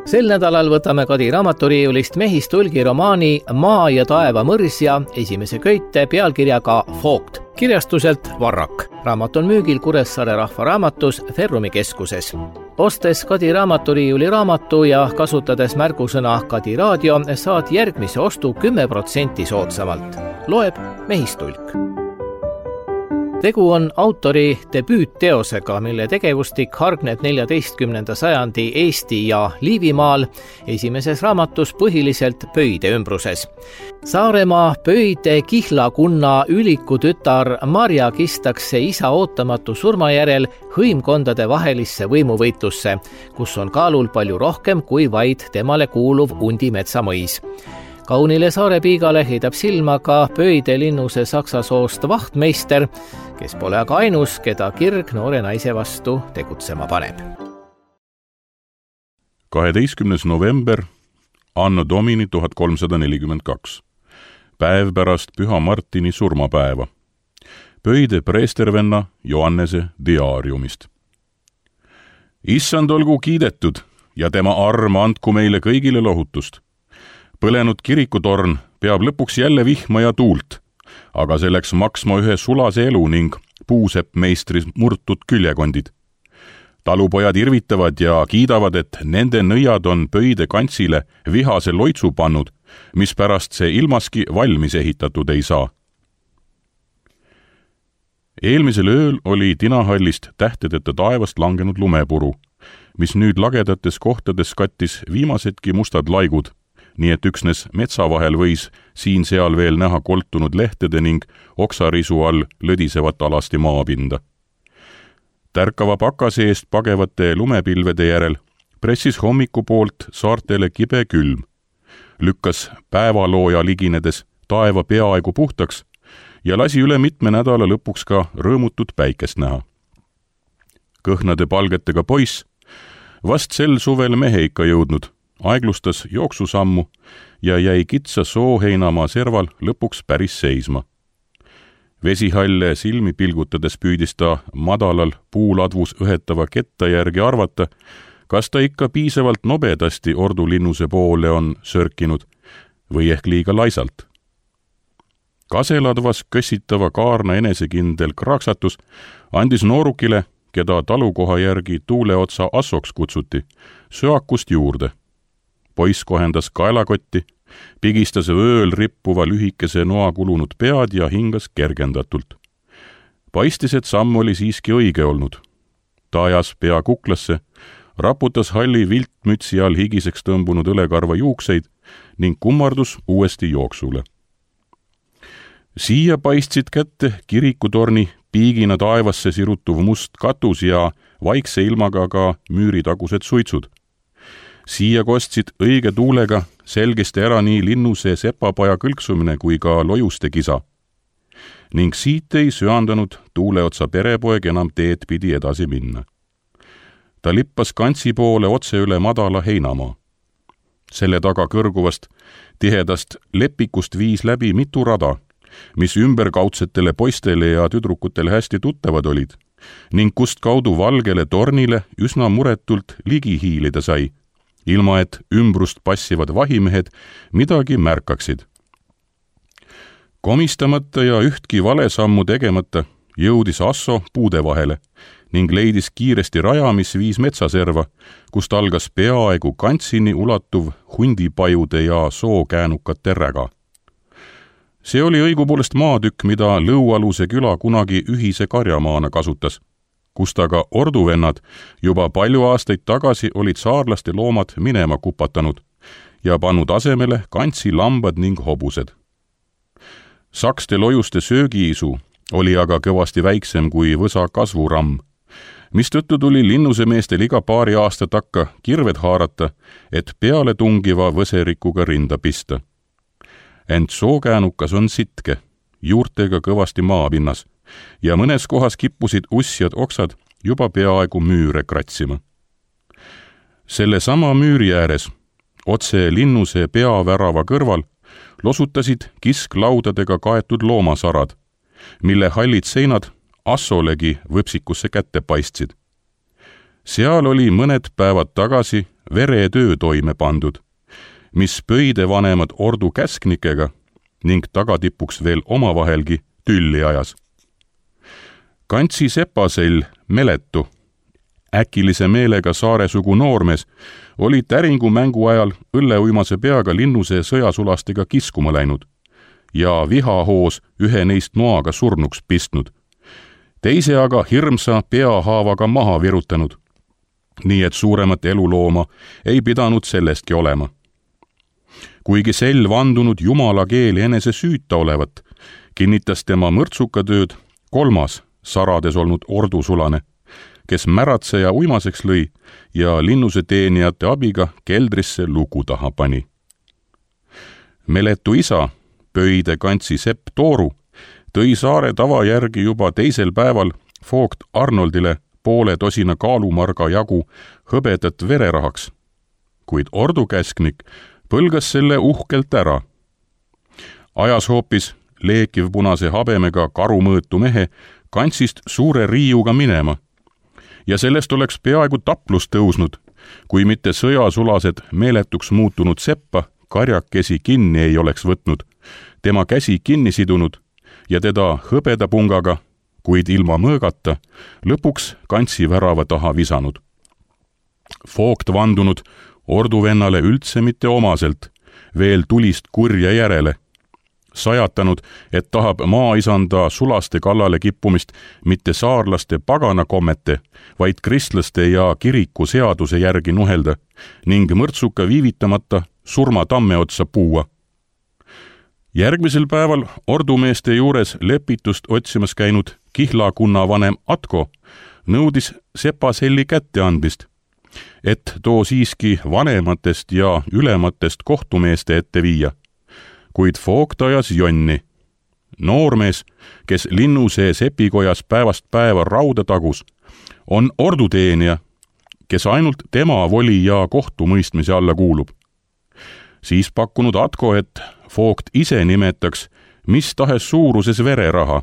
Sel nädalal võtame Kadi raamaturiiulist Mehistulgi romaani Maa ja taeva mõrsja esimese köite pealkirjaga Vogt. Kirjastuselt Varrak. Raamat on müügil Kuressaare rahvaraamatus Ferrumi keskuses. Ostes Kadi raamaturiiuli raamatu ja kasutades märgusõna Kadi raadio, saad järgmise ostu 10% soodsamalt. Loeb Mehistulk. Tegu on autori debüütteosega, mille tegevustik hargneb 14. sajandi Eesti ja Liivimaal, esimeses raamatus põhiliselt Pöide ümbruses. Saaremaa Pöide Kihlakunna üliku tütar Marja kistakse isa ootamatu surma järel hõimkondade vahelisse võimuvõitlusse, kus on kaalul palju rohkem kui vaid temale kuuluv Undimetsa mõis. Kaunile saarepiigale heidab silma ka Pöide linnuse saksa soost vahtmeister, kes pole aga ainus, keda kirg noore naise vastu tegutsema paneb. 12. november, anno domini 1342. Päev pärast Püha Martini surmapäeva. Pöide preestervenna Johannese diaariumist. Issand olgu kiidetud ja tema arm andku meile kõigile lohutust. Põlenud kirikutorn peab lõpuks jälle vihma ja tuult, aga selleks maksma ühe sulase elu ning puusepp meistris murtud küljekondid. Talupojad irvitavad ja kiidavad, et nende nõiad on Pöide kantsile vihase loitsu pannud, mispärast see ilmaski valmis ehitatud ei saa. Eelmisel ööl oli tinahallist tähtedeta taevast langenud lumepuru, mis nüüd lagedates kohtades kattis viimasedki mustad laigud, nii et üksnes metsa vahel võis siin-seal veel näha koltunud lehtede ning oksarisu all lõdisevat alasti maapinda. Tärkava pakase eest pagevate lumepilvede järel pressis hommiku poolt saartele kibe külm, lükkas päevalooja liginedes taeva peaaegu puhtaks ja lasi üle mitme nädala lõpuks ka rõõmutut päikest näha. Kõhnade palgetega poiss, vast sel suvel mehe ikka jõudnud, aeglustas jooksusammu ja jäi kitsa sooheinamaa serval lõpuks päris seisma. Vesihalle silmi pilgutades püüdis ta madalal puuladvus õhetava ketta järgi arvata, kas ta ikka piisavalt nobedasti ordulinnuse poole on sörkinud või ehk liiga laisalt. Kaseladvas kössitava kaarna enesekindel kraaksatus andis noorukile, keda talukoha järgi tuuleotsa assoks kutsuti, söakust juurde. Poiss kohendas kaelakotti, pigistas vööl rippuva lühikese noa kulunud pead ja hingas kergendatult. Paistis, et samm oli siiski õige olnud. Ta ajas pea kuklasse, raputas halli viltmütsi all higiseks tõmbunud õlekarva juukseid ning kummardus uuesti jooksule. Siia paistsid kätte kirikutorni piigina taevasse sirutuv must katus ja vaikse ilmaga ka müüritagused suitsud. Siia kostsid õige tuulega selgesti ära nii linnuse sepapaja kõlksumine kui ka lojuste kisa. Ning siit ei söandanud tuuleotsa perepoeg enam teed pidi edasi minna. Ta lippas kantsi poole otse üle madala heinamaa. Selle taga kõrguvast tihedast lepikust viis läbi mitu rada, mis ümberkaudsetele poistele ja tüdrukutele hästi tuttavad olid, ning kust kaudu valgele tornile üsna muretult ligi hiilida sai, ilma et ümbrust passivad vahimehed midagi märkaksid. Komistamata ja ühtki valesammu tegemata jõudis Asso puude vahele ning leidis kiiresti raja, mis viis metsaserva, kust algas peaaegu kantsini ulatuv hundipajude ja sookäänukate räga. See oli õigupoolest maatükk, mida Lõualuse küla kunagi ühise karjamaana kasutas, kust aga orduvennad juba palju aastaid tagasi olid saarlaste loomad minema kupatanud ja pannud asemele kantsi lambad ning hobused. Sakste lojuste söögiisu oli aga kõvasti väiksem kui võsa kasvuramm, mistõttu tuli linnusemeestel iga paari aasta takka kirved haarata, et peale tungiva võserikuga rinda pista. Ent sookäänukas on sitke, juurtega kõvasti maapinnas, ja mõnes kohas kippusid ussjad oksad juba peaaegu müüre kratsima. Selle sama müüri ääres, otse linnuse peavärava kõrval, losutasid kisklaudadega kaetud loomasarad, mille hallid seinad Assolegi võpsikusse kätte paistsid. Seal oli mõned päevad tagasi veretöö toime pandud, mis pöide vanemad ordu käsknikega ning tagatipuks veel omavahelgi tülli ajas. Kantsi sepasell Meletu, äkilise meelega saaresugu noormees, oli täringu mängu ajal õlleuimase peaga linnuse sõjasulastega kiskuma läinud ja vihahoos ühe neist noaga surnuks pistnud, teise aga hirmsa peahaavaga maha virutanud, nii et suuremat elulooma ei pidanud sellestki olema. Kuigi sell vandunud jumala keeli enese süüta olevat, kinnitas tema mõrtsukatööd kolmas sarades olnud ordusulane, kes märatseja uimaseks lõi ja linnuse teenijate abiga keldrisse luku taha pani. Meletu isa, pöide Kantsi Sepp Tooru, tõi saare tava järgi juba teisel päeval Vogt Arnoldile 1/2 kaalumarga jagu hõbedat vererahaks, kuid ordukäsknik põlgas selle uhkelt ära. Ajas hoopis leekiv punase habemega karumõõtu mehe Kantsist suure riiuga minema ja sellest oleks peaaegu taplus tõusnud, kui mitte sõjasulased meeletuks muutunud Seppa karjakesi kinni ei oleks võtnud, tema käsi kinni sidunud ja teda hõbedapungaga, kuid ilma mõõgata, lõpuks Kantsi värava taha visanud. Vogt vandunud orduvennale üldse mitte omaselt, veel tulist kurja järele, sajatanud, et tahab maaisanda sulaste kallale kippumist mitte saarlaste paganakommete, vaid kristlaste ja kiriku seaduse järgi nuhelda ning mõrtsuka viivitamata surma tamme otsa puua. Järgmisel päeval ordumeeste juures lepitust otsimas käinud kihlakunna vanem Atko nõudis sepaselli kätte andmist, et too siiski vanematest ja ülematest kohtumeeste ette viia, kuid Vogt ajas jonni. Noormees, kes linnuse sepikojas päevast päeva rauda tagus, on orduteenija, kes ainult tema voli ja kohtumõistmise alla kuulub. Siis pakkunud Atko, et Vogt ise nimetaks mis tahes suuruses vereraha,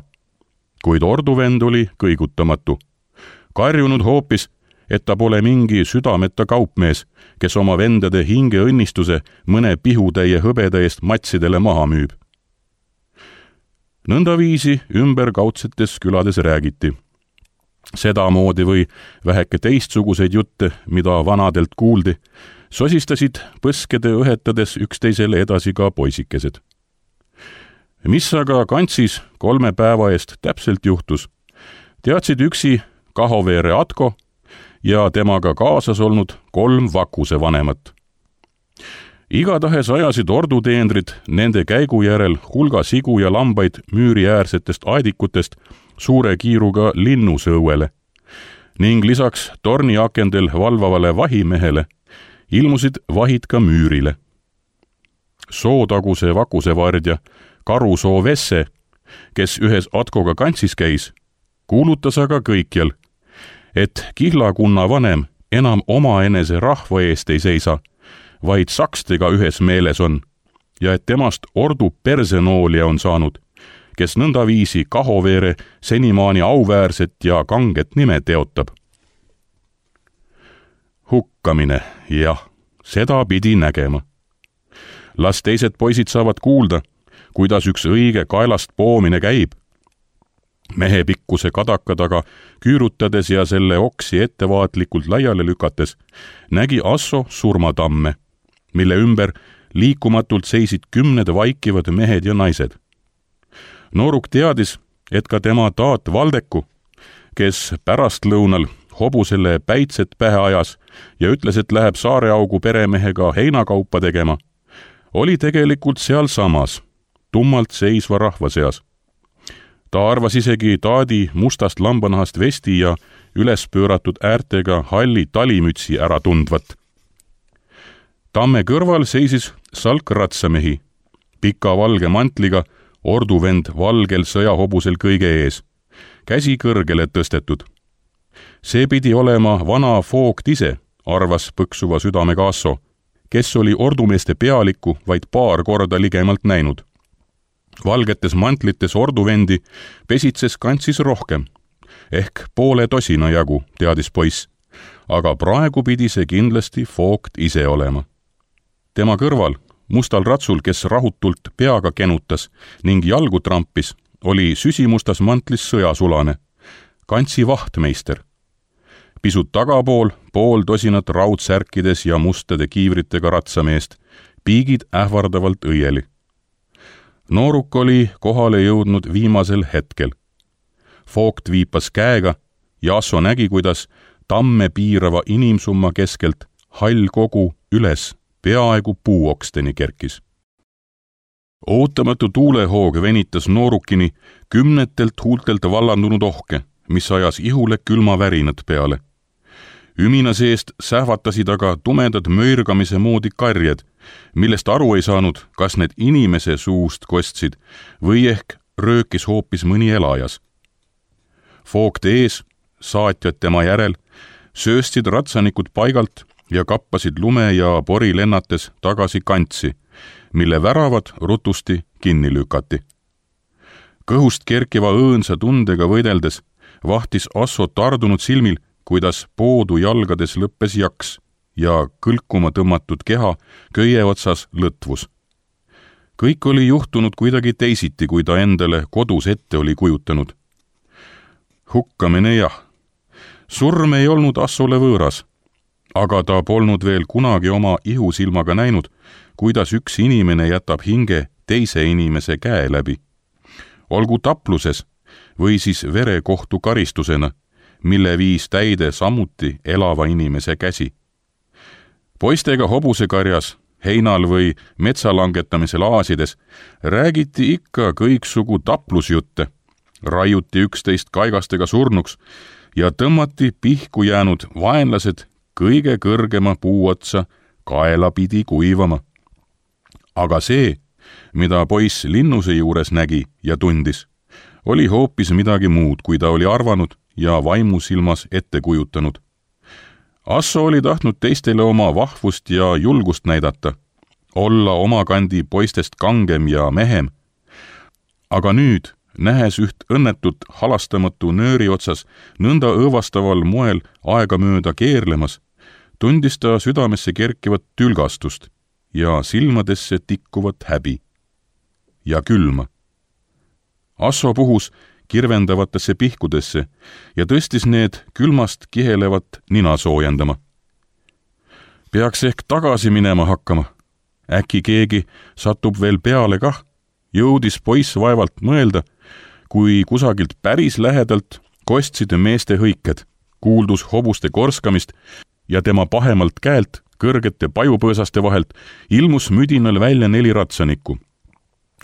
kuid orduvend oli kõigutamatu, karjunud hoopis, et ta pole mingi südameta kaupmees, kes oma vendade hingeõnnistuse mõne pihutäie hõbeda eest matsidele maha müüb. Nõndaviisi ümberkaudsetes külades räägiti. Sedamoodi või väheke teistsuguseid jutte, mida vanadelt kuuldi, sosistasid põskede õhetades üksteisele edasi ka poisikesed. Mis aga Kantsis 3 päeva eest täpselt juhtus, teadsid üksi Kahoveere Atko ja temaga kaasas olnud 3 Vakuse vanemat. Igatahes ajasid orduteenrid nende käigu järel hulga sigu ja lambaid müüriäärsetest aedikutest suure kiiruga linnusõuele ning lisaks torniakendel valvavale vahimehele ilmusid vahid ka müürile. Sootaguse vakusevardja Karusoo Vesse, kes ühes Atkoga Kantsis käis, kuulutas aga kõikjal, et kihlakunna vanem enam omaenese rahva eest ei seisa, vaid sakstega ühes meeles on ja et temast ordu persenoolija on saanud, kes nõndaviisi Kahoveere senimaani auväärset ja kanget nime teotab. Hukkamine, jah, seda pidi nägema. Las teised poisid saavad kuulda, kuidas üks õige kaelast poomine käib. Mehe pikkuse kadaka taga küürutades ja selle oksi ettevaatlikult laiale lükates nägi Asso surmatamme, mille ümber liikumatult seisid 10 vaikivad mehed ja naised. Nooruk teadis, et ka tema taat Valdeku, kes pärastlõunal hobusele päitset pähe ajas ja ütles, et läheb Saareaugu peremehega heinakaupa tegema, oli tegelikult sealsamas, tummalt seisva rahva seas. Ta arvas isegi taadi mustast lambanahast vesti ja üles pööratud äärtega halli talimütsi ära tundvat. Tamme kõrval seisis salk ratsamehi, pika valge mantliga, orduvend valgel sõjahobusel kõige ees, käsi kõrgele tõstetud. See pidi olema vana Vogt ise, arvas põksuva südamega Asso, kes oli ordumeeste pealikku vaid paar korda ligemalt näinud. Valgetes mantlites orduvendi pesitses Kantsis rohkem, ehk 1/2 jagu, teadis poiss, aga praegu pidi see kindlasti Vogt ise olema. Tema kõrval, mustal ratsul, kes rahutult peaga kenutas ning jalgu trampis, oli süsimustas mantlis sõjasulane, kantsi vahtmeister. Pisut tagapool pool tosinat raudsärkides ja mustade kiivritega ratsameest, piigid ähvardavalt õieli. Nooruk oli kohale jõudnud viimasel hetkel. Vogt viipas käega ja Asso nägi, kuidas tamme piirava inimsumma keskelt hall kogu üles peaaegu puuoksteni kerkis. Ootamatu tuulehoog venitas noorukini kümnetelt huultelt vallandunud ohke, mis ajas ihule külma värinad peale. Ümina seest sähvatasid aga tumedad möirgamise moodi karjed, millest aru ei saanud, kas need inimese suust kostsid või ehk röökis hoopis mõni elajas. Vogt ees, saatjad tema järel, sööstsid ratsanikud paigalt ja kappasid lume ja pori lennates tagasi kantsi, mille väravad rutusti kinni lükati. Kõhust kerkiva õõnsa tundega võideldes vahtis Asso tardunud silmil, kuidas poodu jalgades lõppes jaks ja kõlkuma tõmmatud keha köie otsas lõtvus. Kõik oli juhtunud kuidagi teisiti, kui ta endale kodus ette oli kujutanud. Hukkamine jah. Surm ei olnud Assole võõras, aga ta polnud veel kunagi oma ihusilmaga näinud, kuidas üks inimene jätab hinge teise inimese käe läbi. Olgu tapluses või siis verekohtu karistusena, mille viis täide samuti elava inimese käsi. Poistega hobusekarjas, heinal või metsalangetamisel aasides räägiti ikka kõiksugu taplusjutte, raiuti üksteist kaigastega surnuks ja tõmmati pihku jäänud vaenlased kõige kõrgema puuotsa kaela pidi kuivama. Aga see, mida poiss linnuse juures nägi ja tundis, oli hoopis midagi muud, kui ta oli arvanud ja vaimusilmas ette kujutanud. Asso oli tahtnud teistele oma vahvust ja julgust näidata, olla omakandi poistest kangem ja mehem. Aga nüüd, nähes üht õnnetut halastamatu nööri otsas nõnda õõvastaval moel aegamööda keerlemas, tundis ta südamesse kerkivat tülgastust ja silmadesse tikkuvat häbi ja külma. Asso puhus kirvendavatesse pihkudesse ja tõstis need külmast kihelevat nina soojendama. Peaks ehk tagasi minema hakkama. Äkki keegi satub veel peale kah, jõudis poiss vaevalt mõelda, kui kusagilt päris lähedalt kostsid meeste hõiked, kuuldus hobuste korskamist ja tema pahemalt käelt kõrgete pajupõõsaste vahelt ilmus müdinal välja 4 ratsanikku.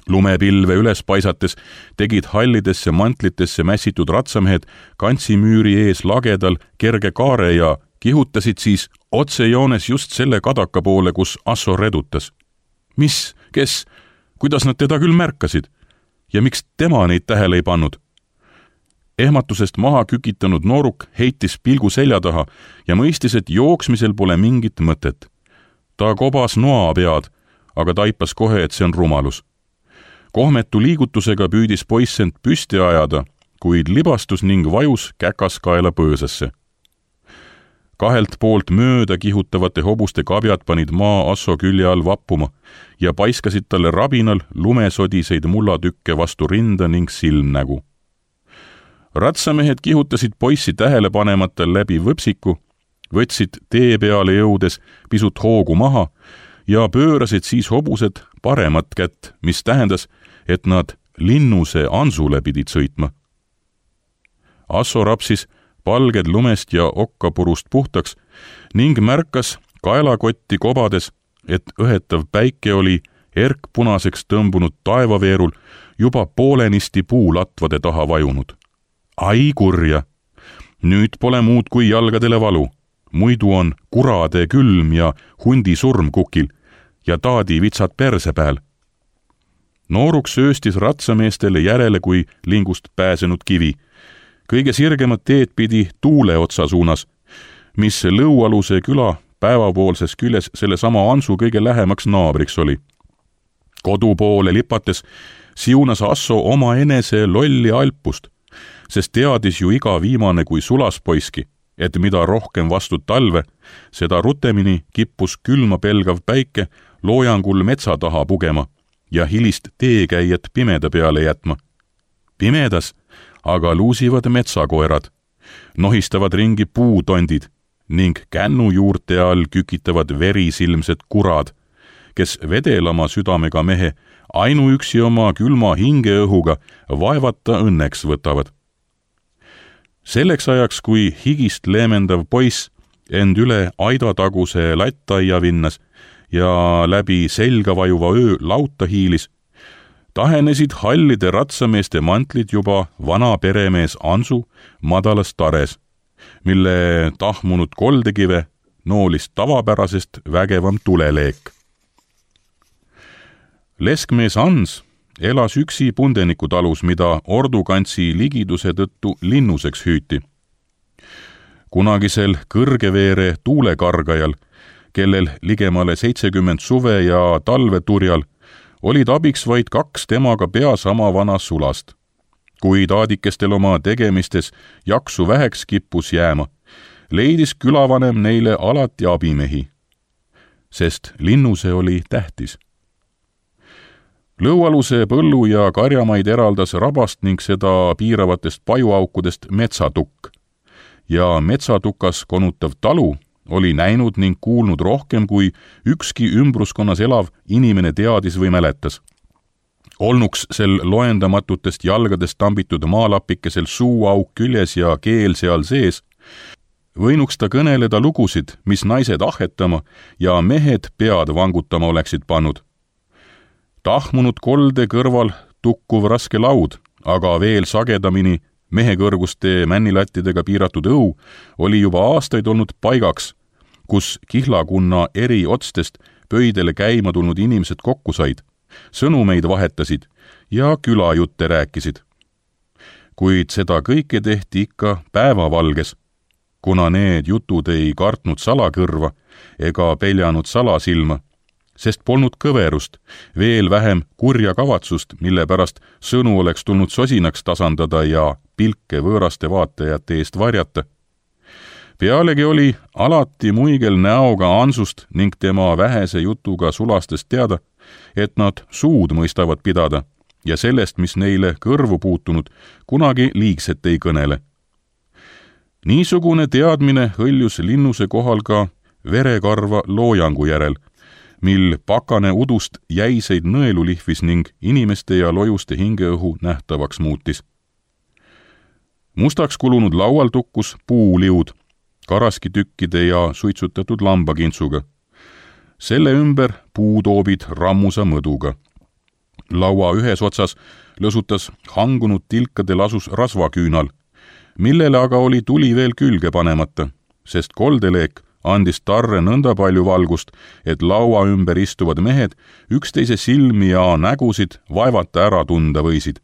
Lumepilve üles paisates tegid hallidesse mantlitesse mässitud ratsamehed kantsimüüri ees lagedal kerge kaare ja kihutasid siis otsejoones just selle kadaka poole, kus Asso redutas. Mis, kes, kuidas nad teda küll märkasid ja miks tema neid tähele ei pannud? Ehmatusest maha kükitanud nooruk heitis pilgu selja taha ja mõistis, et jooksmisel pole mingit mõtet. Ta kobas noa pead, aga taipas kohe, et see on rumalus. Kohmetu liigutusega püüdis poiss end püsti ajada, kuid libastus ning vajus käkaskaela põõsasse. Kahelt poolt mööda kihutavate hobuste kabjad panid maa Asso külje all vappuma ja paiskasid talle rabinal lumesodiseid mullatükke vastu rinda ning silmnägu. Ratsamehed kihutasid poissi tähele panemata läbi võpsiku, võtsid tee peale jõudes pisut hoogu maha ja pöörasid siis hobused paremat kätt, mis tähendas, et nad linnuse ansule pidid sõitma. Asso rapsis palged lumest ja okkapurust puhtaks ning märkas kaelakotti kobades, et õhetav päike oli erkpunaseks tõmbunud taevaveerul juba poolenisti puulatvade taha vajunud. Ai kurja! Nüüd pole muud kui jalgadele valu, muidu on kurade külm ja hundi surm kukil ja taadi vitsad perse peal. Nooruk sööstis ratsameestele järele kui lingust pääsenud kivi. Kõige sirgemad teed pidi tuule otsa suunas, mis Lõualuse küla päevapoolses küljes selle sama ansu kõige lähemaks naabriks oli. Kodu poole lipates siunas Asso oma enese lolli alpust, sest teadis ju iga viimane kui sulaspoiski, et mida rohkem vastu talve, seda rutemini kippus külma pelgav päike loojangul metsa taha pugema ja hilist teekäijat pimeda peale jätma. Pimedas aga luusivad metsakoerad, nohistavad ringi puutondid ning kännujuurte all kükitavad verisilmsed kurad, kes vedelama südamega mehe ainuüksi oma külma hingeõhuga vaevata õnneks võtavad. Selleks ajaks, kui higist leemendav poiss end üle aidataguse lattaia vinnas ja läbi selga vajuva öö lauta hiilis, tahenesid hallide ratsameeste mantlid juba vana peremees Ansu madalas tares, mille tahmunud koldekive noolis tavapärasest vägevam tuleleek. Leskmees Ans elas üksi Pundeniku-talus, mida Ordukantsi ligiduse tõttu linnuseks hüüti. Kunagisel kõrgeveere tuulekargajal, kellel ligemale 70 suve ja talveturjal, olid abiks vaid 2 temaga pea sama vana sulast. Kui taadikestel oma tegemistes jaksu väheks kippus jääma, leidis külavanem neile alati abimehi, sest linnuse oli tähtis. Lõualuse põllu ja karjamaid eraldas rabast ning seda piiravatest pajuaukudest metsatukk. Ja metsatukas konutav talu oli näinud ning kuulnud rohkem, kui ükski ümbruskonnas elav inimene teadis või mäletas. Olnuks sel loendamatutest jalgadest tambitud maalapikesel suuauk küljes ja keel seal sees, võinuks ta kõneleda lugusid, mis naised ahetama ja mehed pead vangutama oleksid pannud. Tahmunud kolde kõrval tukkuv raske laud, aga veel sagedamini mehekõrguste männilattidega piiratud õu oli juba aastaid olnud paigaks, kus kihlakunna eri otstest pöidele käima tulnud inimesed kokku said, sõnumeid vahetasid ja külajutte rääkisid. Kuid seda kõike tehti ikka päevavalges, kuna need jutud ei kartnud salakõrva ega peljanud salasilma, sest polnud kõverust, veel vähem kurja kavatsust, mille pärast sõnu oleks tulnud sosinaks tasandada ja pilke võõraste vaatajate eest varjata. Pealegi oli alati muigel näoga Ansust ning tema vähese jutuga sulastest teada, et nad suud mõistavad pidada ja sellest, mis neile kõrvu puutunud, kunagi liigset ei kõnele. Niisugune teadmine hõljus linnuse kohal ka verekarva loojangu järel, mil pakane udust jäiseid nõelu lihvis ning inimeste ja lojuste hingeõhu nähtavaks muutis. Mustaks kulunud laual tukkus puuliud, karaskitükkide ja suitsutatud lambakintsuga. Selle ümber puutoobid rammusa mõduga. Laua ühes otsas lõsutas hangunud tilkadel asus rasvaküünal, millele aga oli tuli veel külge panemata, sest koldeleek andis tarre nõnda palju valgust, et laua ümber istuvad mehed üksteise silmi ja nägusid vaevata ära tunda võisid.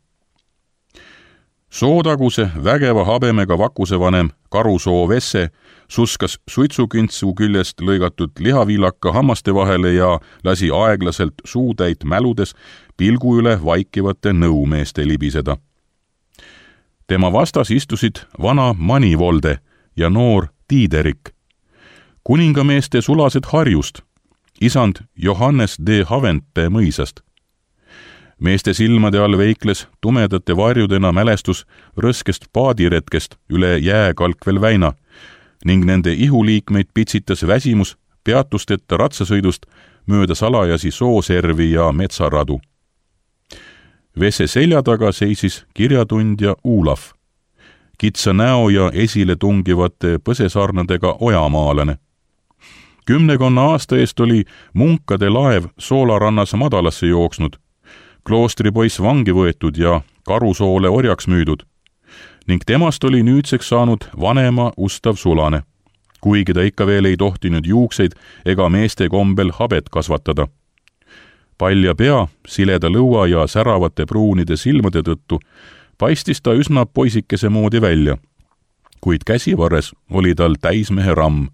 Sootaguse vägeva habemega vakusevanem Karusoo Vesse suskas suitsukintsu küljest lõigatud lihaviilaka hammaste vahele ja lasi aeglaselt suutäit mäludes pilgu üle vaikivate nõumeeste libiseda. Tema vastas istusid vana Manivolde ja noor Tiiderik, kuningameeste sulased Harjust, isand Johannes D. Havente mõisast. Meeste silmade all veikles tumedate varjudena mälestus rõskest paadiretkest üle jääkalkvel väina ning nende ihuliikmeid pitsitas väsimus peatusteta ratsasõidust mööda salajasi sooservi ja metsaradu. Vesse selja taga seisis kirjatundja Uulaf, kitsa näo ja esile tungivate põsesarnadega ojamaalane. 10 aasta eest oli munkade laev Soolarannas madalasse jooksnud, kloostripoiss vangi võetud ja Karusoole orjaks müüdud ning temast oli nüüdseks saanud vanema ustav sulane, kuigi ta ikka veel ei tohtinud juukseid ega meeste kombel habet kasvatada. Palja pea, sileda lõua ja säravate pruunide silmade tõttu paistis ta üsna poisikese moodi välja, kuid käsivarres oli tal täismehe ramm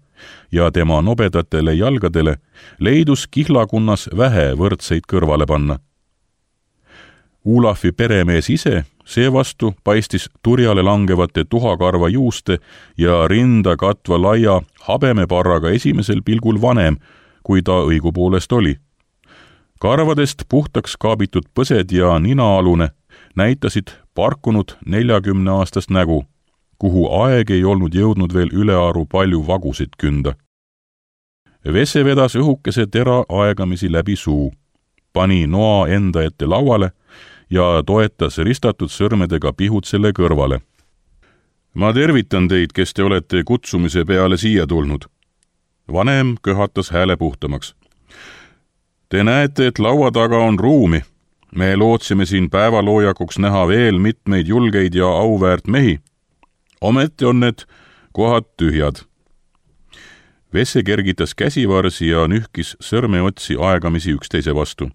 ja tema nobedatele jalgadele leidus kihlakunnas vähe võrdseid kõrvale panna. Uulafi peremees ise Seevastu paistis turjale langevate tuhakarva juuste ja rinda katva laia habemeparraga esimesel pilgul vanem, kui ta õigupoolest oli. Karvadest puhtaks kaabitud põsed ja ninaalune näitasid parkunud 40-aastast nägu, kuhu aeg ei olnud jõudnud veel ülearu palju vagusid künda. Vesse vedas õhukese tera aegamisi läbi suu, pani noa enda ette lauale ja toetas ristatud sõrmedega pihud selle kõrvale. Ma tervitan teid, kes te olete kutsumise peale siia tulnud. Vanem köhatas hääle puhtamaks. Te näete, et laua taga on ruumi. Me lootsime siin päevaloojakuks näha veel mitmeid julgeid ja auväärt mehi. Ometi on need kohad tühjad. Vesse kergitas käsivarsi ja nühkis sõrmeotsi aegamisi üksteise vastu.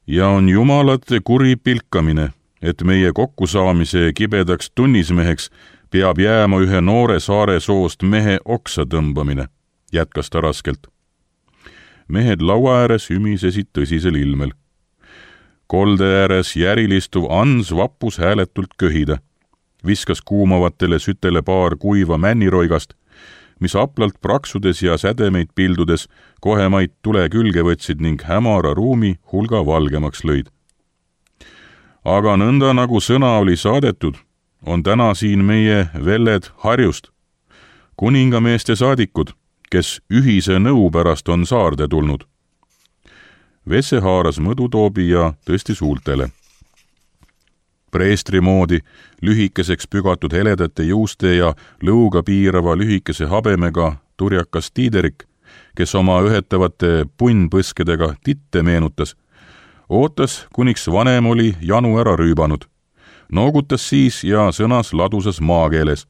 Ja on jumalate kuri pilkamine, et meie kokkusaamise kibedaks tunnismeheks peab jääma ühe noore saare soost mehe oksa tõmbamine, jätkas ta raskelt. Mehed laua ääres ümisesid tõsisel ilmel. Kolde ääres järilistuv Ans vappus hääletult köhida, viskas kuumavatele sütele paar kuiva männiroigast, mis aplalt praksudes ja sädemeid pildudes kohemaid tule külge võtsid ning hämara ruumi hulga valgemaks lõid. Aga nõnda nagu sõna oli saadetud, on täna siin meie velled Harjust, kuningameeste saadikud, kes ühise nõu pärast on saarde tulnud. Vesse haaras mõdutoobi ja tõstis huultele. Preestri moodi lühikeseks pügatud heledate juuste ja lõuga piirava lühikese habemega turjakas Tiiderik, kes oma ühetavate punnpõskedega titte meenutas, ootas, kuniks vanem oli janu ära rüübanud. Noogutas siis ja sõnas ladusas maakeeles.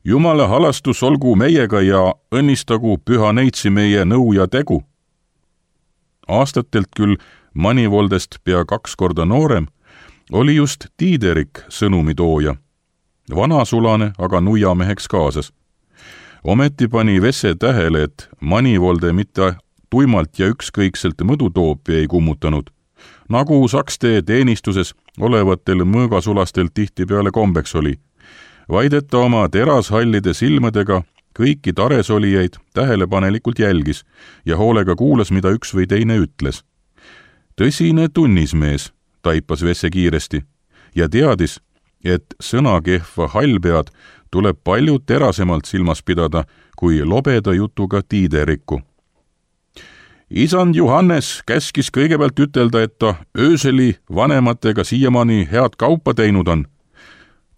Jumala halastus olgu meiega ja õnnistagu püha neitsi meie nõu ja tegu. Aastatelt küll Manivoldest pea 2 korda noorem, oli just Tiiderik sõnumitooja, vanasulane aga nuiameheks kaasas. Ometi pani Vesse tähele, et Manivolde mitte tuimalt ja ükskõikselt mõdutoopi ei kummutanud, nagu sakste teenistuses olevatel mõõgasulastel tihtipeale kombeks oli, vaid et ta oma terashallide silmadega kõiki taresolijaid tähelepanelikult jälgis ja hoolega kuulas, mida üks või teine ütles. Tõsine tunnismees, taipas Vesse kiiresti ja teadis, et sõnakehva hallpead tuleb palju terasemalt silmas pidada kui lobeda jutuga Tiiderikku. Isand Johannes käskis kõigepealt ütelda, et ta ööseli vanematega siiamaani head kaupa teinud on.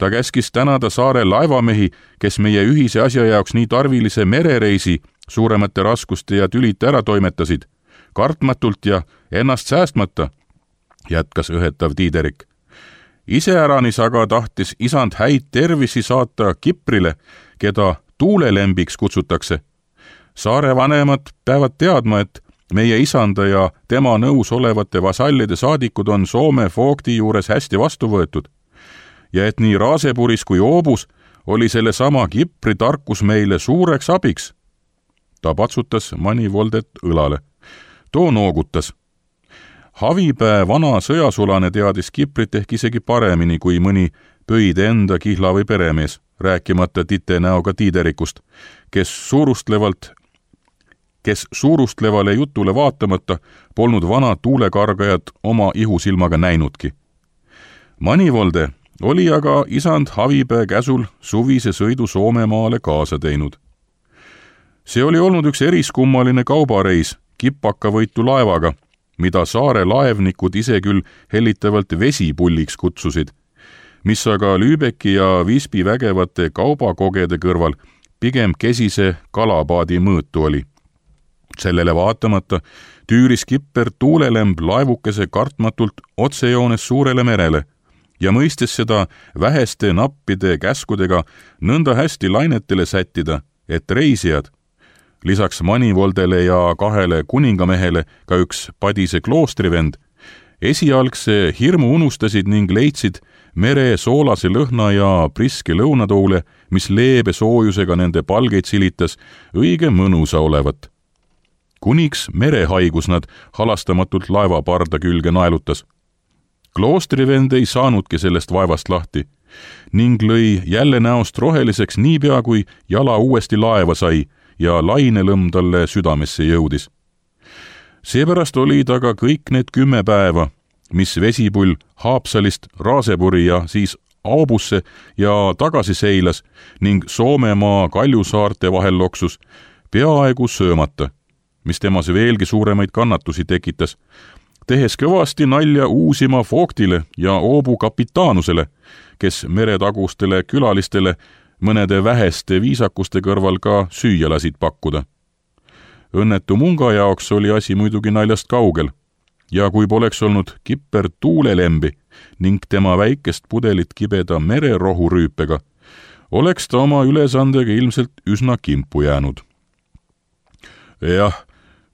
Ta käskis tänada saare laevamehi, kes meie ühise asja jaoks nii tarvilise merereisi suuremate raskuste ja tülite ära toimetasid, kartmatult ja ennast säästmata, jätkas õhetav Tiiderik. Iseäranis aga tahtis isand häid tervisi saata Kiprile, keda tuulelembiks kutsutakse. Saare vanemad peavad teadma, et meie isanda ja tema nõus olevate vasallide saadikud on Soome foogti juures hästi vastu võetud ja et nii Raasepuris kui Oobus oli selle sama Kipri tarkus meile suureks abiks. Ta patsutas Manivoldet õlale. Too noogutas. Havipää vana sõjasulane teadis Kiprit ehk isegi paremini kui mõni pöide enda kihla või peremees, rääkimata tite näoga Tiiderikust, kes suurustlevale jutule vaatamata polnud vana tuulekargajat oma ihusilmaga näinudki. Manivolde oli aga isand Havipää käsul suvise sõidu Soomemaale kaasa teinud. See oli olnud üks eriskummaline kaubareis kipakavõitu laevaga, mida saare laevnikud ise küll hellitavalt vesipulliks kutsusid, mis aga Lübecki ja Visby vägevate kaubakogede kõrval pigem kesise kalapaadi mõõtu oli. Sellele vaatamata tüüris kipper tuulelemb laevukese kartmatult otsejoones suurele merele ja mõistes seda väheste nappide käskudega nõnda hästi lainetele sättida, et reisijad, lisaks Manivoldele ja 2 kuningamehele ka üks padise kloostrivend, esialgse hirmu unustasid ning leidsid mere soolase lõhna ja priske lõunatoole, mis leebe soojusega nende palgeid silitas, õige mõnusa olevat. Kuniks merehaigus nad halastamatult laevaparda külge naelutas. Kloostrivend ei saanudki sellest vaevast lahti ning lõi jälle näost roheliseks niipea, kui jala uuesti laeva sai ja lainelõmm talle südamesse jõudis. Seepärast oli ta ka kõik need 10 päeva, mis vesipull Haapsalist Raasepuri ja siis Aabusse ja tagasi seilas ning Soomemaa Kaljusaarte vahel loksus, peaaegu söömata, mis temas veelgi suuremaid kannatusi tekitas, tehes kõvasti nalja uusima Vogtile ja Oobu kapitaanusele, kes meretagustele külalistele mõnede väheste viisakuste kõrval ka süüa lasid pakkuda. Õnnetu munga jaoks oli asi muidugi naljast kaugel ja kui poleks olnud kipper tuulelembi ning tema väikest pudelit kibeda mererohurüüpega, oleks ta oma ülesandega ilmselt üsna kimpu jäänud. Jah,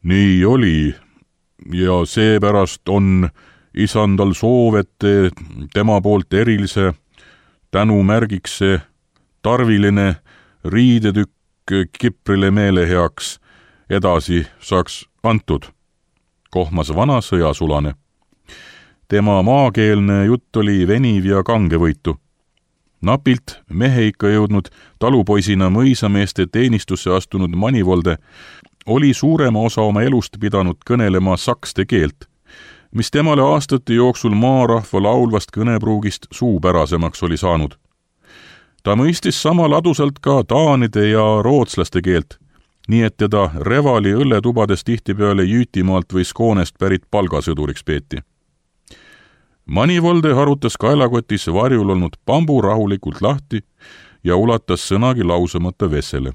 nii oli ja seepärast on isandal soov, et tema poolt erilise tänumärgiks see tarviline riidetükk kiprile meele heaks edasi saaks antud, kohmas vana sõjasulane. Tema maakeelne jutt oli veniv ja kangevõitu. Napilt mehe ikka jõudnud talupoisina mõisameeste teenistusse astunud Manivolde oli suurema osa oma elust pidanud kõnelema sakste keelt, mis temale aastate jooksul maarahva laulvast kõnepruugist suupärasemaks oli saanud. Ta mõistis sama ladusalt ka taanide ja rootslaste keelt, nii et teda Revali õlletubades tihtipeale Jüütimaalt või Skoonest pärit palgasõduriks peeti. Manivolde harutas kaelakotis varjul olnud pambu rahulikult lahti ja ulatas sõnagi lausamata Vessele.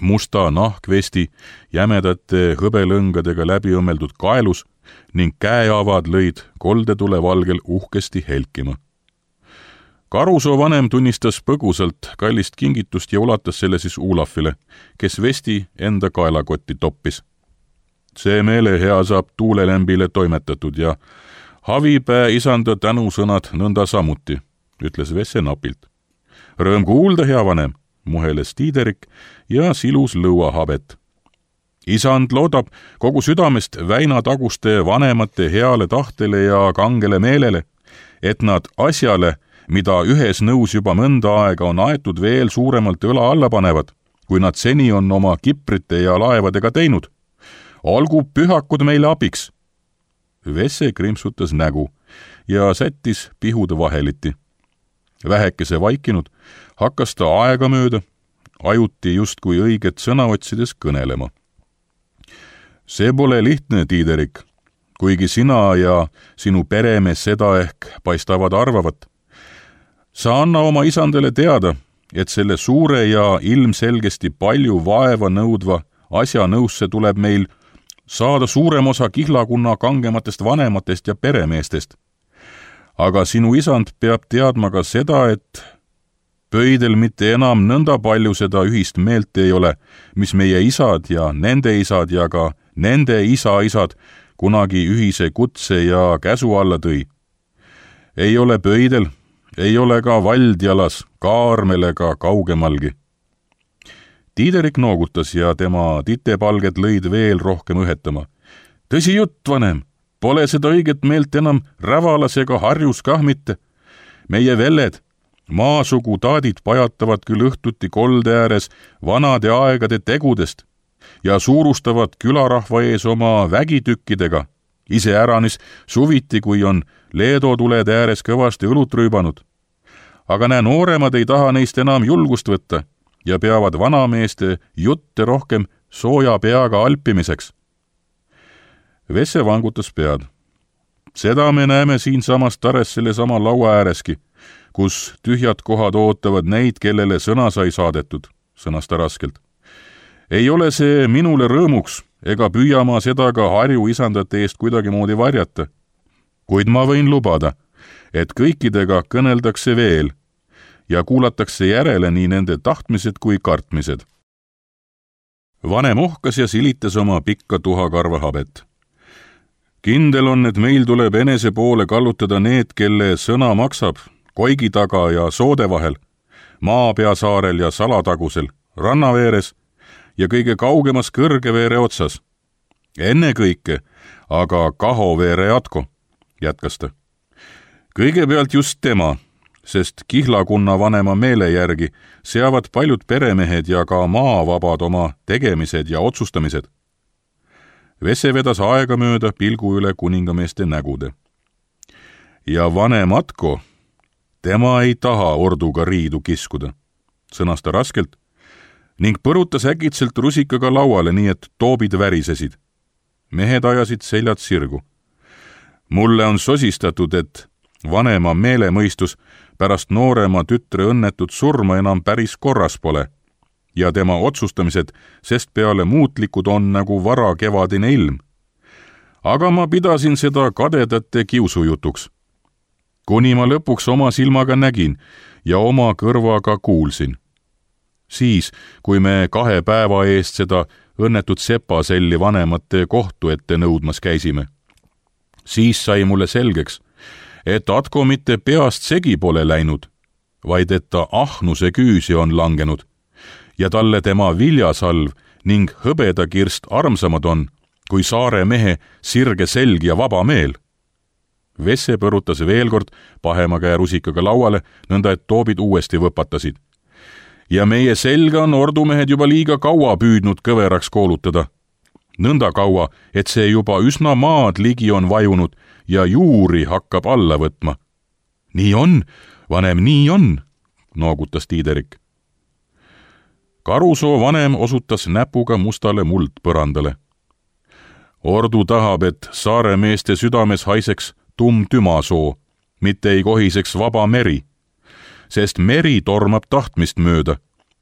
Musta nahkvesti jämedate hõbelõngadega läbi õmmeldud kaelus ning käeavad lõid koldetule valgel uhkesti helkima. Karusoo vanem tunnistas põgusalt kallist kingitust ja ulatas selle siis Ulafile, kes vesti enda kaelakotti toppis. See meelehea saab tuulelembile toimetatud ja Havipää isanda tänusõnad nõnda samuti, ütles Vesse napilt. Rõõm kuulda, hea vanem, muheles Tiiderik ja silus lõuahabet. Isand loodab kogu südamest Väinataguste vanemate heale tahtele ja kangele meelele, et nad asjale, mida ühes nõus juba mõnda aega on aetud, veel suuremalt õla alla panevad, kui nad seni on oma kiprite ja laevadega teinud. Olgu pühakud meile abiks. Vesse krimpsutas nägu ja sättis pihude vaheliti. Vähekese vaikinud hakkas ta aegamööda, ajuti justkui õiget sõna otsides kõnelema. See pole lihtne, Tiiderik, kuigi sina ja sinu peremees seda ehk paistavad arvavat. Sa anna oma isandele teada, et selle suure ja ilmselgesti palju vaeva nõudva asja nõusse tuleb meil saada suurem osa kihlakunna kangematest vanematest ja peremeestest. Aga sinu isand peab teadma ka seda, et pöidel mitte enam nõnda palju seda ühist meelt ei ole, mis meie isad ja ka nende isa-isad kunagi ühise kutse ja käsu alla tõi. Ei ole pöidel, ei ole ka Valdjalas, Kaarmel ega kaugemalgi. Tiiderik noogutas ja tema titepalged lõid veel rohkem õhetama. Tõsi jutt, vanem, pole seda õiget meelt enam Rävalas ega Harjus kah mitte. Meie velled, maasugu taadid pajatavad küll õhtuti kolde ääres vanade aegade tegudest ja suurustavad külarahva ees oma vägitükkidega, iseäranis suviti, kui on leedotulede ääres kõvasti õlut rüübanud. Aga nooremad ei taha neist enam julgust võtta ja peavad vanameeste jutte rohkem sooja peaga alpimiseks. Vesse vangutas pead. Seda me näeme siinsamas Tares sellesama laua ääreski, kus tühjad kohad ootavad neid, kellele sõna sai saadetud, sõnas ta raskelt. Ei ole see minule rõõmuks, ega püüa ma seda ka Harju isandate eest kuidagimoodi varjata. Kuid ma võin lubada, et kõikidega kõneldakse veel ja kuulatakse järele nii nende tahtmised kui kartmised. Vanem ohkas ja silitas oma pikka tuhakarva habet. Kindel on, et meil tuleb enese poole kallutada need, kelle sõna maksab, Koigi taga ja Soode vahel, Maapeasaarel ja Salatagusel, rannaveeres ja kõige kaugemas Kõrgeveere otsas. Ennekõike aga Kahoveere jatko, jätkas ta, Kõigepealt just tema, sest Kihlakunna vanema meele järgi seavad paljud peremehed ja ka maavabad oma tegemised ja otsustamised. Vesse vedas aegamööda pilgu üle kuningameeste nägude. Ja vanem Atko, tema ei taha orduga riidu kiskuda, sõnas ta raskelt ning põrutas äkitselt rusikaga lauale, nii et toobid värisesid. Mehed ajasid seljad sirgu. Mulle on sosistatud, et vanema meelemõistus pärast noorema tütre õnnetut surma enam päris korras pole ja tema otsustamised sest peale muutlikud on nagu varakevadine ilm. Aga ma pidasin seda kadedate kiusujutuks. Kuni ma lõpuks oma silmaga nägin ja oma kõrvaga kuulsin. Siis, kui me 2 päeva eest seda õnnetut sepaselli vanemate kohtu ette nõudmas käisime, siis sai mulle selgeks, et Atko mitte peast segi pole läinud, vaid et ta ahnuse küüsi on langenud ja talle tema viljasalv ning hõbedakirst armsamad on, kui saare mehe sirge selg ja vaba meel. Vesse põrutas veel kord pahema käe rusikaga lauale, nõnda et toobid uuesti võpatasid. Ja meie selga on ordumehed juba liiga kaua püüdnud kõveraks koolutada. Nõnda kaua, et see juba üsna maad ligi on vajunud ja juuri hakkab alla võtma. Nii on, vanem, nii on, noogutas Tiiderik. Karusoo vanem osutas näpuga mustale muldpõrandale. Ordu tahab, et saare meeste südames haiseks tümasoo, mitte ei kohiseks vaba meri, sest meri tormab tahtmist mööda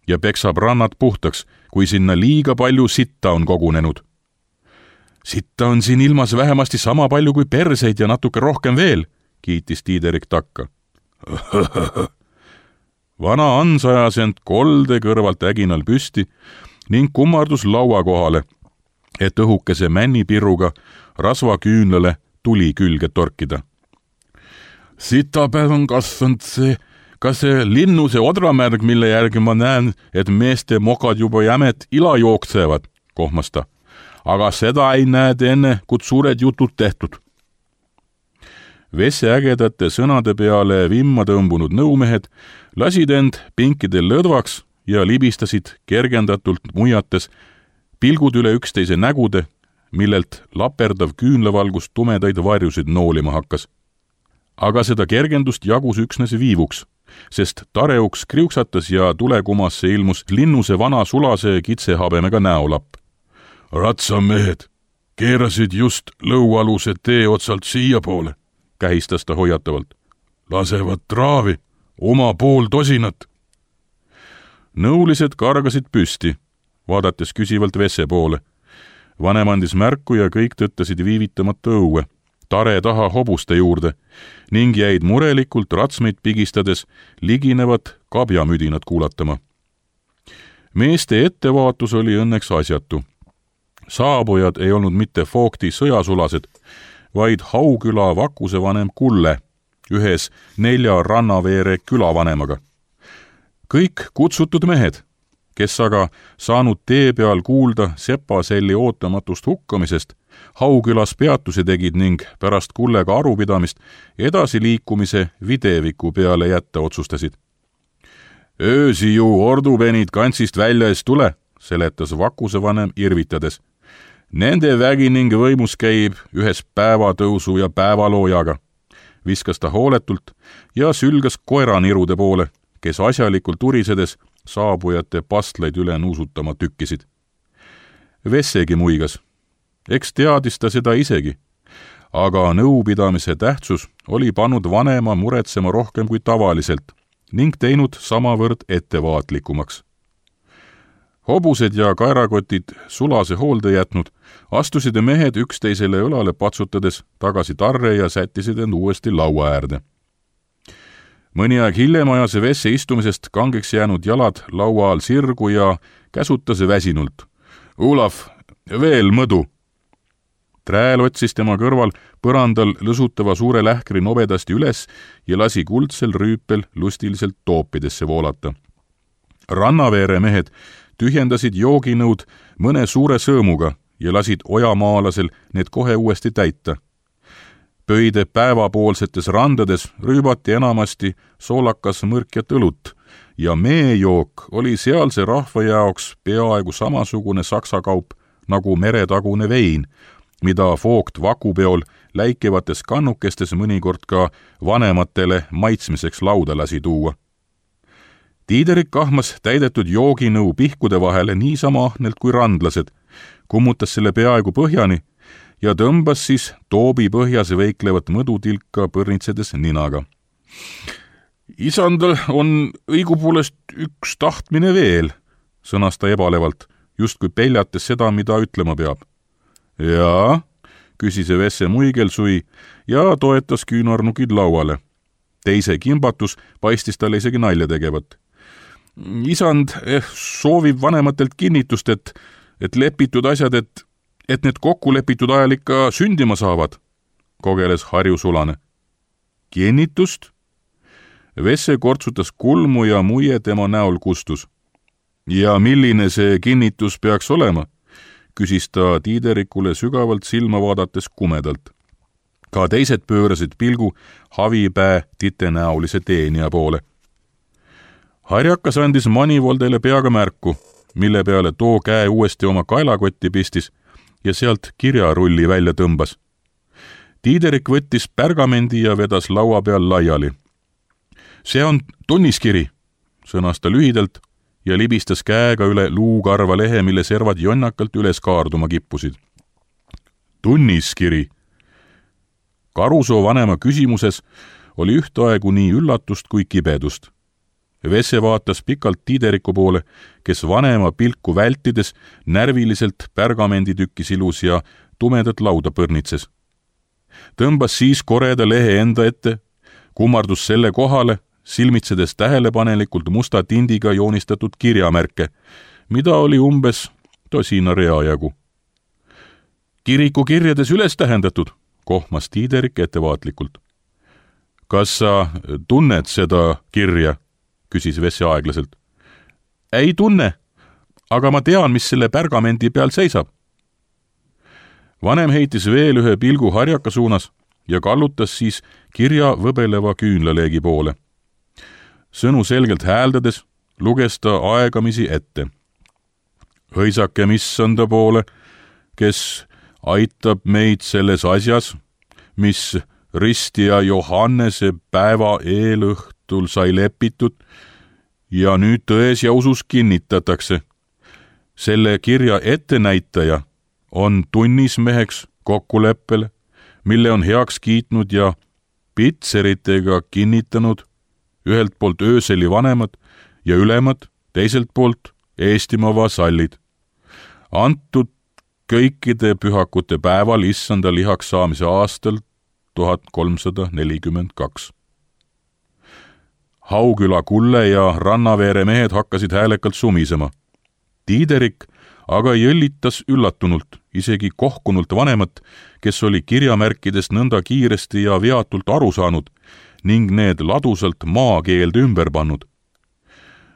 ja peksab rannad puhtaks, kui sinna liiga palju sitta on kogunenud. Sitta on siin ilmas vähemasti sama palju kui perseid ja natuke rohkem veel, kiitis Tiiderik takka. Vana Ans ajas end kolde kõrvalt äginal püsti ning kummardus laua kohale, et õhukese männipirruga rasvaküünlale tuli külge torkida. Sita peal on kasvanud see linnuse odramärg, mille järgi ma näen, et meeste mokad juba jämet ila jooksevad, kohmas ta. Aga seda ei näed enne, kui suured jutud tehtud. Vesse ägedate sõnade peale vimma tõmbunud nõumehed lasid end pinkidel lõdvaks ja libistasid kergendatult muiates pilgud üle üksteise nägude, millelt laperdav küünlavalgus tumedaid varjusid noolima hakkas. Aga seda kergendust jagus üksnes viivuks, sest tareuks kriuksatas ja tulekumasse ilmus linnuse vana sulase kitsehabemega näolapp. Ratsamehed keerasid just lõualuse tee otsalt siia poole, kähistas ta hoiatavalt. Lasevad traavi, oma pool tosinat. Nõulised kargasid püsti, vaadates küsivalt Vesse poole. Vanem andis märku ja kõik tõttasid viivitamata õue, tare taha hobuste juurde ning jäid murelikult ratsmeid pigistades liginevat kabjamüdinat kuulatama. Meeste ettevaatus oli õnneks asjatu. Saabujad ei olnud mitte Foogti sõjasulased, vaid Hauküla Vakuse vanem Kulle, ühes 4 rannaveere külavanemaga. Kõik kutsutud mehed, kes aga saanud tee peal kuulda sepaselli ootamatust hukkamisest, Haukülas peatuse tegid ning pärast Kullega arupidamist edasiliikumise videviku peale jätta otsustasid. Öösi ju ordupenid kantsist välja ees tule, seletas Vakuse vanem irvitades. Nende vägi ning võimus käib ühes päevatõusu ja päevaloojaga, viskas ta hooletult ja sülgas koeranirude poole, kes asjalikult urisedes saabujate pastlaid üle nuusutama tükkisid. Vessegi muigas. Eks teadis ta seda isegi, aga nõupidamise tähtsus oli pannud vanema muretsema rohkem kui tavaliselt ning teinud samavõrd ettevaatlikumaks. Hobused ja kaerakotid sulase hoolde jätnud, astusid mehed üksteisele õlale patsutades tagasi tarre ja sättisid end uuesti laua äärde. Mõni aeg hiljem ajas Vesse istumisest kangeks jäänud jalad laua all sirgu ja käsutas väsinult. Olav, veel mõdu! Trääl otsis tema kõrval põrandal lõsutava suure lähkri nobedasti üles ja lasi kuldsel rüüpel lustiliselt toopidesse voolata. Rannaveere mehed tühjendasid jooginõud mõne suure sõõmuga ja lasid ojamaalasel need kohe uuesti täita. Pöide päevapoolsetes randades rüübati enamasti soolakas mõrkjat õlut ja meejook oli sealse rahva jaoks peaaegu samasugune saksa kaup nagu meretagune vein, mida Vogt vakupeol läikevates kannukestes mõnikord ka vanematele maitsmiseks lauda lasi tuua. Tiiderik kahmas täidetud jooginõu pihkude vahele niisama ahnelt kui randlased, kummutas selle peaaegu põhjani ja tõmbas siis toobi põhjas veiklevat mõdutilka põrnitsedes ninaga. Isandal on õigupoolest üks tahtmine veel, sõnas ta ebalevalt, justkui peljates seda, mida ütlema peab. Jaa, küsis Vesse muigelsui ja toetas küünarnukid lauale. Teise kimbatus paistis talle isegi nalja tegevat. Isand soovib vanematelt kinnitust, et lepitud asjad, et need kokku lepitud ajal ikka sündima saavad, kogeles Harju Sulane. Kinnitust? Vesse kortsutas kulmu ja muie tema näol kustus. Ja milline see kinnitus peaks olema? Küsis ta Tiiderikule sügavalt silma vaadates kumedalt. Ka teised pöörasid pilgu Havipää titenäolise teenija poole. Harjakas andis Manivoldele peaga märku, mille peale too käe uuesti oma kaelakotti pistis ja sealt kirjarulli välja tõmbas. Tiiderik võttis pärgamendi ja vedas laua peal laiali. See on tunniskiri, sõnas ta lühidalt ja libistas käega üle luukarva lehe, mille servad jonnakalt üles kaarduma kippusid. Tunniskiri. Karusoo vanema küsimuses oli ühtaegu nii üllatust kui kibedust. Vesse vaatas pikalt Tiideriku poole, kes vanema pilku vältides närviliselt pärgamenditükki silus ja tumedat lauda põrnitses. Tõmbas siis koreda lehe enda ette, kummardus selle kohale, silmitsedes tähelepanelikult musta tindiga joonistatud kirjamärke, mida oli umbes tosina rea jagu. Kiriku kirjades üles tähendatud, kohmas Tiiderik ettevaatlikult. Kas sa tunned seda kirja? Küsis Vesse aeglaselt. Ei tunne, aga ma tean, mis selle pärgamendi peal seisab. Vanem heitis veel ühe pilgu Harjaka suunas ja kallutas siis kirja võbeleva küünlaleegi poole. Sõnu selgelt hääldades luges ta aegamisi ette. Hõisake missanda poole, kes aitab meid selles asjas, mis ristija Johannese päeva eelõhtul sai lepitud ja nüüd tões ja usus kinnitatakse. Selle kirja ettenäitaja on tunnismeheks kokkuleppele, mille on heaks kiitnud ja pitseritega kinnitanud ühelt poolt ööseli vanemad ja ülemad, teiselt poolt Eestimaa vasallid. Antud kõikide pühakute päeval issanda lihaks saamise aastal 1342. Hauküla Kulle ja Rannaveere mehed hakkasid häälekalt sumisema. Tiiderik aga jõllitas üllatunult, isegi kohkunult vanemat, kes oli kirjamärkidest nõnda kiiresti ja veatult aru saanud ning need ladusalt maakeelde ümber pannud.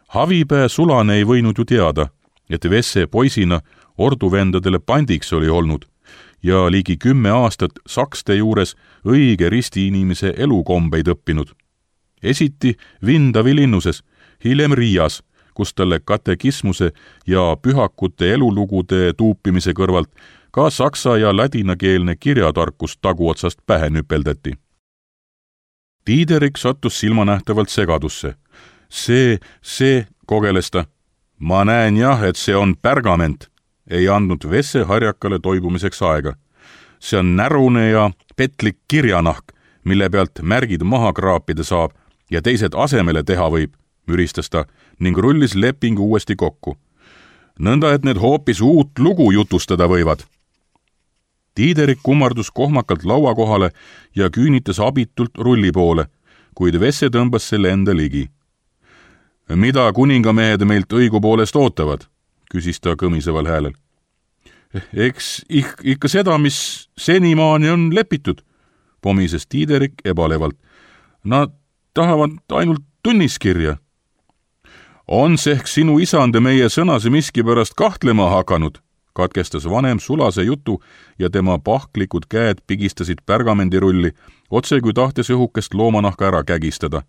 Havipää Sulane ei võinud ju teada, et Vesse poisina orduvendadele pandiks oli olnud ja ligi 10 aastat sakste juures õige ristiinimese elukombeid õppinud. Esiti Vindavi linnuses, hiljem Riias, kus talle katekismuse ja pühakute elulugude tuupimise kõrvalt ka saksa ja ladinakeelne kirjatarkus taguotsast pähe nüpeldati. Tiiderik sattus silmanähtavalt segadusse. See, kogeles ta. Ma näen jah, et see on pärgament. Ei andnud Vesse Harjakale toibumiseks aega. See on närune ja petlik kirjanahk, mille pealt märgid maha kraapida saab ja teised asemele teha võib, müristas ta ning rullis lepingu uuesti kokku. Nõnda, et need hoopis uut lugu jutustada võivad. Tiiderik kummardus kohmakalt laua kohale ja küünitas abitult rulli poole, kuid Vesse tõmbas selle enda ligi. Mida kuningamehed meilt õigupoolest ootavad? Küsis ta kõmiseval häälel. Eks ikka seda, mis senimaani on lepitud, pomises Tiiderik ebalevalt. Nad tahavad ainult tunniskirja. On see ehk sinu isande meie sõnase miskipärast kahtlema hakanud, katkestas vanem sulase jutu ja tema pahklikud käed pigistasid pergamendirulli, otse kui tahtes õhukest loomanahka ära kägistada.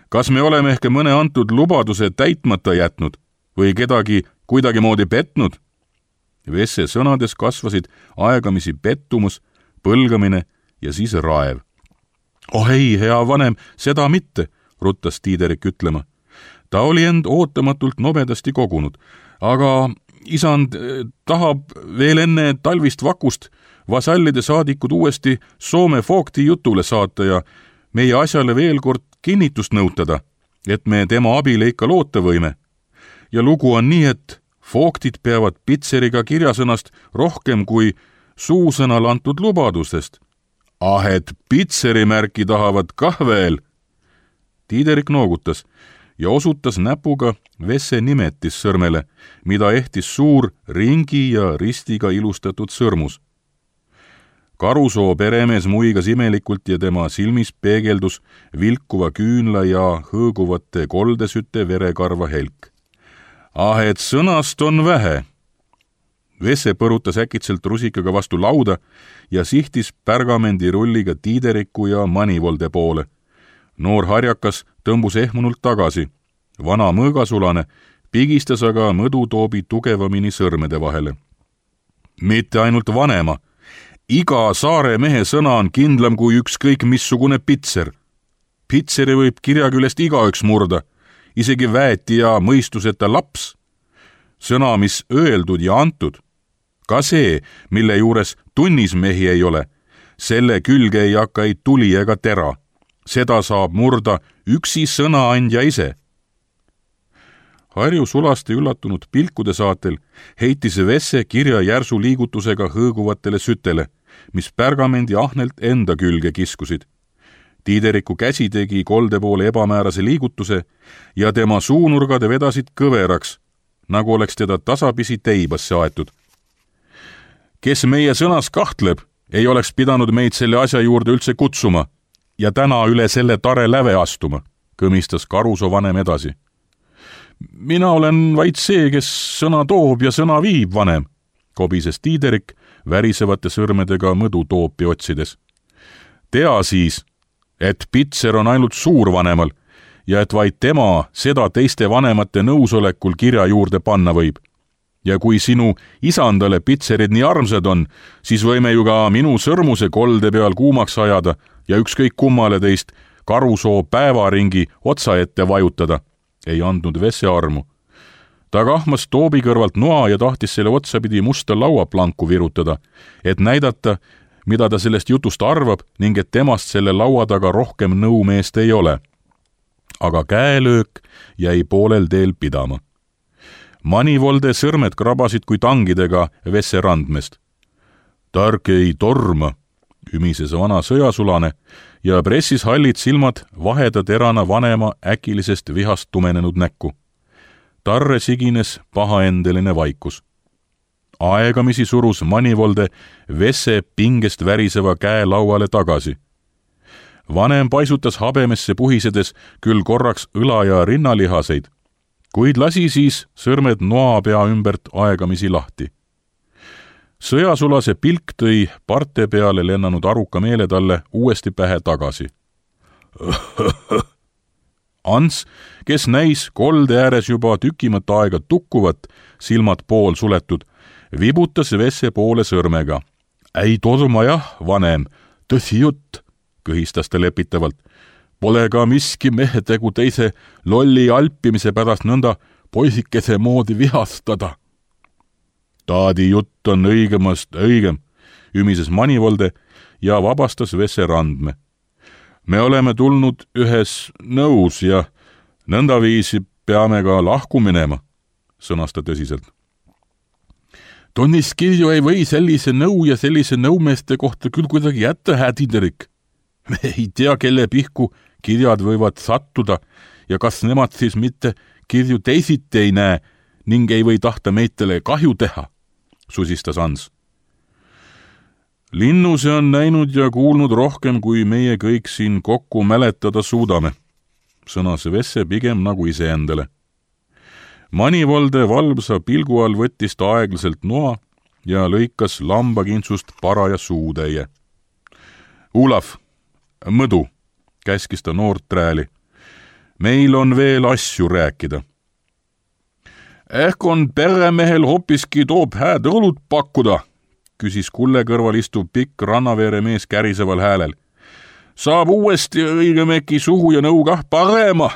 Kas me oleme ehk mõne antud lubaduse täitmata jätnud või kedagi kuidagimoodi petnud? Vesse sõnades kasvasid aegamisi pettumus, põlgamine ja siis raev. Oh ei, hea vanem, seda mitte, ruttas Tiiderik ütlema. Ta oli end ootamatult nobedasti kogunud, aga isand tahab veel enne talvist vakust vasallide saadikud uuesti Soome Foogti jutule saata ja meie asjale veel kord kinnitust nõutada, et me tema abile ikka loota võime. Ja lugu on nii, et Foogtid peavad Pitseriga kirjasõnast rohkem kui suusõnal antud lubadustest. Ah, et Pitseri märki tahavad kah veel. Tiiderik noogutas ja osutas näpuga Vesse nimetissõrmele, mida ehtis suur ringi ja ristiga ilustatud sõrmus. Karusoo peremees muigas imelikult ja tema silmis peegeldus vilkuva küünla ja hõõguvate koldesüte verekarva helk. Ah, et sõnast on vähe. Vesse põrutas äkitselt rusikaga vastu lauda ja sihtis pergamendirulliga Tiideriku ja Manivolde poole. Noor harjakas tõmbus ehmunult tagasi. Vana mõõgasulane pigistas aga mõdutoobi tugevamini sõrmede vahele. Mitte ainult vanema. Iga saare mehe sõna on kindlam kui ükskõik missugune pitser. Pitseri võib kirjaküljest igaüks murda, isegi väeti ja mõistuseta laps. Sõna, mis öeldud ja antud. Ka see, mille juures tunnismehi ei ole, selle külge ei hakka ei tuli ega tera. Seda saab murda üksi sõnaandja ise. Harju Sulaste üllatunud pilkude saatel heitis Vesse kirja järsu liigutusega hõõguvatele sütele, mis pergamendi ahnelt enda külge kiskusid. Tiideriku käsi tegi kolde poole ebamäärase liigutuse ja tema suunurgade vedasid kõveraks, nagu oleks teda tasapisi teibasse aetud. Kes meie sõnas kahtleb, ei oleks pidanud meid selle asja juurde üldse kutsuma ja täna üle selle tare läve astuma, kõmistas Karusoo vanem edasi. Mina olen vaid see, kes sõna toob ja sõna viib, vanem, kobises Tiiderik värisevate sõrmedega mõdutoopi otsides. Tea siis, et Pitser on ainult suurvanemal ja et vaid tema seda teiste vanemate nõusolekul kirja juurde panna võib. Ja kui sinu isandale Pitserid nii armsad on, siis võime ju ka minu sõrmuse kolde peal kuumaks ajada ja ükskõik kummale teist Karusoo päevaringi otsa ette vajutada. Ei andnud Vesse armu. Ta kahmas toobi kõrvalt noa ja tahtis selle otsapidi musta lauaplanku virutada, et näidata, mida ta sellest jutust arvab ning et temast selle laua taga rohkem nõumeest ei ole. Aga käelöök jäi poolel teel pidama. Manivolde sõrmed krabasid kui tangidega Vesse randmest. Tark ei torma, ümises vana sõjasulane ja pressis hallid silmad vaheda terana vanema äkilisest vihast tumenenud näkku. Tarre sigines pahaendeline vaikus. Aegamisi surus Manivolde Vesse pingest väriseva käe lauale tagasi. Vanem paisutas habemesse puhisedes küll korraks õla- ja rinnalihaseid, kuid lasi siis sõrmed noapea ümbert aegamisi lahti. Sõjasulase pilk tõi parte peale lennanud aruka meele talle uuesti pähe tagasi. Ants, kes näis kolde ääres juba tükimat aega tukkuvat, silmad pool suletud, vibutas Vesse poole sõrmega. Ei torma jah, vanem, tõsi jutt, kõhistas ta lepitavalt. Pole ka miski mehetegu teise lolli alpimise pärast nõnda poisikese moodi vihastada. Taadi jutt on õigemast õigem, ümises Manivolde ja vabastas Vesse randme. Me oleme tulnud ühes nõus ja nõndaviisi peame ka lahku minema, sõnas ta tõsiselt. Tonniskirju ei või sellise nõu ja sellise nõumeeste kohta küll kuidagi jätta, hää Tiiderik. Me ei tea, kelle pihku kirjad võivad sattuda ja kas nemad siis mitte kirju teisiti ei näe ning ei või tahta meitele kahju teha, susistas Ans. Linnu see on näinud ja kuulnud rohkem, kui meie kõik siin kokku mäletada suudame, sõnas Vesse pigem nagu iseendale. Manivolde valvsa pilgu all võttis ta aeglaselt noa ja lõikas lambakintsust paraja suutäie. Olav, mõdu, käskis ta noort trääli. Meil on veel asju rääkida. Ehk on peremehel hoopiski toob hääd õlut pakkuda, küsis kulle kõrval istuv pikk rannaveere mees käriseval häälel. Saab uuesti õigemeki suhu ja nõuga parema.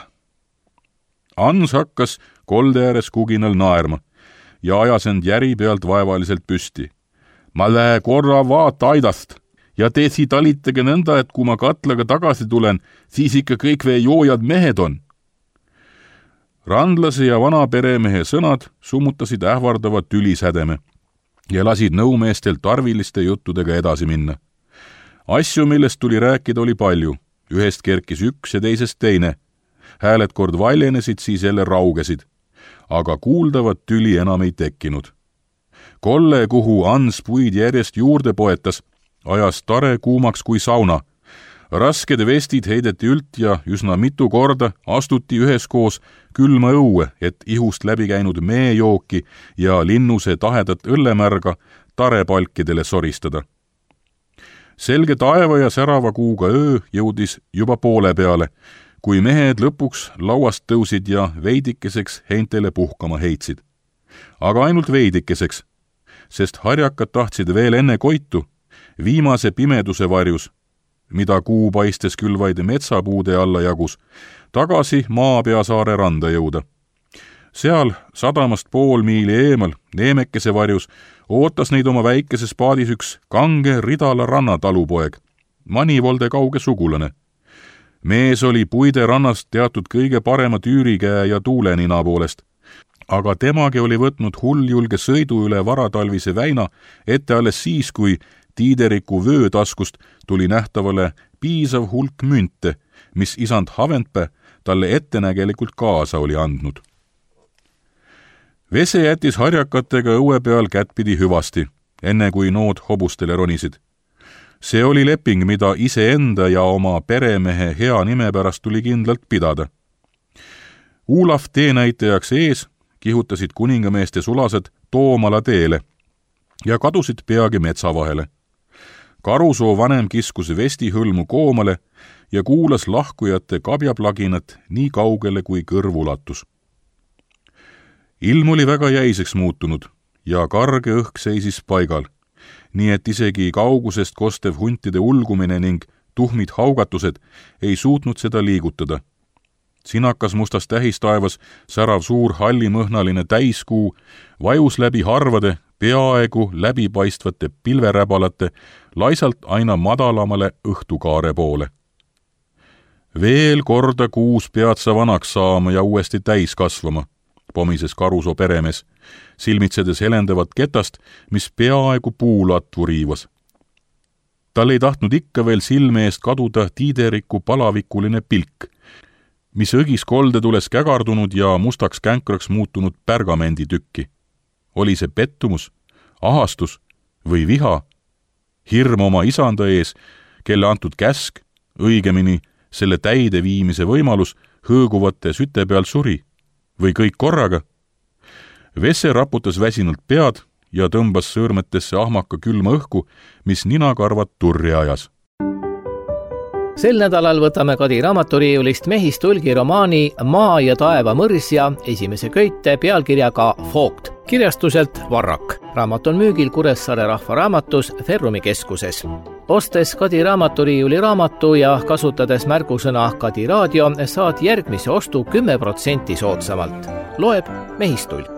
Ans hakkas kolde ääres kuginal naerma ja ajas end järi pealt vaevaliselt püsti. Ma lähe korra vaata aidast ja te siit talitage nõnda, et kui ma katlaga tagasi tulen, siis ikka kõik veejoojad mehed on. Randlase ja vana peremehe sõnad summutasid ähvardavat tülisädeme ja lasid nõumeestel tarviliste juttudega edasi minna. Asju, millest tuli rääkida, oli palju. Ühest kerkis üks ja teisest teine. Hääled kord valjenesid, siis jälle raugesid. Aga kuuldavat tüli enam ei tekkinud. Kolle, kuhu Ans puid järjest juurde poetas, ajas tare kuumaks kui sauna. Rasked vestid heideti ült ja üsna mitu korda astuti üheskoos külma õue, et ihust läbi käinud meejooki ja linnuse tahedat õllemärga tarepalkidele soristada. Selge taeva ja särava kuuga öö jõudis juba poole peale, kui mehed lõpuks lauast tõusid ja veidikeseks heintele puhkama heitsid. Aga ainult veidikeseks, sest harjakad tahtsid veel enne koitu, viimase pimeduse varjus, mida kuu paistes küll vaid metsapuude alla jagus, tagasi Maapeasaare randa jõuda. Seal sadamast pool miili eemal, Neemekese varjus, ootas neid oma väikeses paadis üks kange Ridala rannatalupoeg, Manivolde kauge sugulane. Mees oli puide rannast teatud kõige parema tüürikäe ja tuulenina poolest, aga temagi oli võtnud hulljulge sõidu üle varatalvise väina ette alles siis, kui Tiideriku vöötaskust tuli nähtavale piisav hulk münte, mis isand Haventpä talle ettenägelikult kaasa oli andnud. Vese jättis harjakatega õue peal kättpidi hüvasti, enne kui nood hobustele ronisid. See oli leping, mida iseenda ja oma peremehe hea nime pärast tuli kindlalt pidada. Olav teenäitajaks ees kihutasid kuningameeste sulased Toomala teele ja kadusid peagi metsa vahele. Karusoo vanem kiskus vesti hõlmu koomale ja kuulas lahkujate kabjaplaginat nii kaugele kui kõrv ulatus. Ilm oli väga jäiseks muutunud ja karge õhk seisis paigal, nii et isegi kaugusest kostev huntide ulgumine ning tuhmid haugatused ei suutnud seda liigutada. Sinakas mustas tähistaevas särav suur hallimõhnaline täiskuu vajus läbi harvade, peaaegu läbipaistvate pilveräbalate laisalt aina madalamale õhtukaare poole. Veel korda kuus pead sa vanaks saama ja uuesti täis kasvama, pomises Karusoo peremees, silmitsedes helendavat ketast, mis peaaegu puulatvu riivas. Tal ei tahtnud ikka veel silme eest kaduda Tiideriku palavikuline pilk, mis õgis koldetules kägardunud ja mustaks känkraks muutunud pergamenditükki. Oli see pettumus, ahastus või viha, hirm oma isanda ees, kelle antud käsk, õigemini selle täide viimise võimalus hõõguvate süte peal suri, või kõik korraga? Vesse raputas väsinult pead ja tõmbas sõõrmetesse ahmaka külma õhku, mis ninakarvad turri ajas. Sel nädalal võtame Kadi raamaturiiulist Mehistulgi romaani Maa ja taeva mõrsja esimese köite pealkirjaga Vogt, kirjastuselt Varrak. Raamat on müügil Kuressaare Rahvaraamatus Ferrumi keskuses. Ostes Kadi raamaturiiuli raamatu ja kasutades märgusõna Kadi raadio, saad järgmise ostu 10% soodsamalt. Loeb Mehistulk.